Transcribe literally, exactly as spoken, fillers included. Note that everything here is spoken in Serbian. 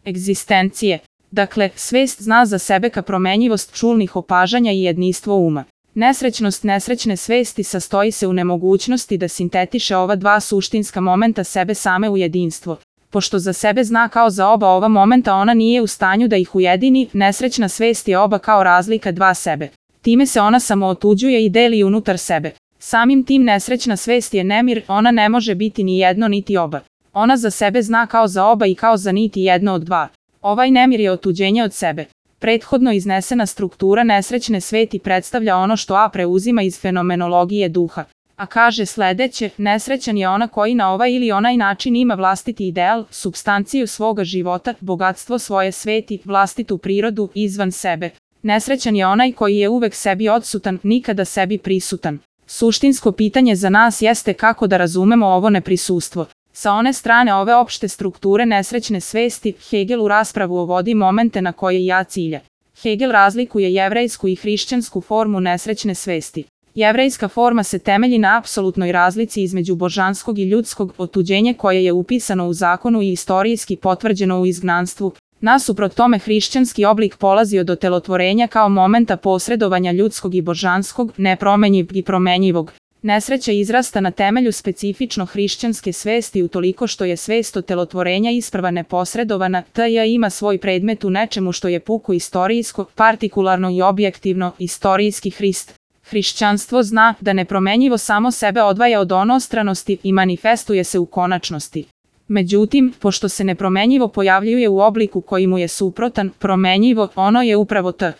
egzistencije. Dakle, svest zna za sebe ka promenjivost čulnih opažanja i jedinstvo uma. Nesrećnost nesrećne svesti sastoji se u nemogućnosti da sintetiše ova dva suštinska momenta sebe same u jedinstvo. Pošto za sebe zna kao za oba ova momenta, ona nije u stanju da ih ujedini, nesrećna svest je oba kao razlika dva sebe. Time se ona samo otuđuje i deli unutar sebe. Samim tim nesrećna svest je nemir, ona ne može biti ni jedno niti oba. Ona za sebe zna kao za oba i kao za niti jedno od dva. Ovaj nemir je otuđenje od sebe. Prethodno iznesena struktura nesrećne sveti predstavlja ono što A preuzima iz fenomenologije duha. A kaže sledeće, nesrećan je ona koji na ovaj ili onaj način ima vlastiti ideal, supstanciju svoga života, bogatstvo svoje sveti, vlastitu prirodu, izvan sebe. Nesrećan je onaj koji je uvek sebi odsutan, nikada sebi prisutan. Suštinsko pitanje za nas jeste kako da razumemo ovo neprisustvo. Sa one strane ove opšte strukture nesrećne svesti, Hegel u raspravu uvodi momente na koje ja cilja. Hegel razlikuje jevrejsku i hrišćansku formu nesrećne svesti. Jevrejska forma se temelji na apsolutnoj razlici između božanskog i ljudskog, otuđenje koje je upisano u zakonu i istorijski potvrđeno u izgnanstvu. Nasuprot tome hrišćanski oblik polazi od otelotvorenja kao momenta posredovanja ljudskog i božanskog, nepromenjiv i promenjivog. Nesreća izrasta na temelju specifično hrišćanske svesti utoliko što je svest otelotvorenja isprva neposredovana, te ima svoj predmet u nečemu što je puko istorijsko, partikularno i objektivno, istorijski Hrist. Hrišćanstvo zna da nepromenjivo samo sebe odvaja od onostranosti i manifestuje se u konačnosti. Međutim, pošto se nepromenjivo pojavljuje u obliku koji mu je suprotan, promenjivo, ono je upravo t.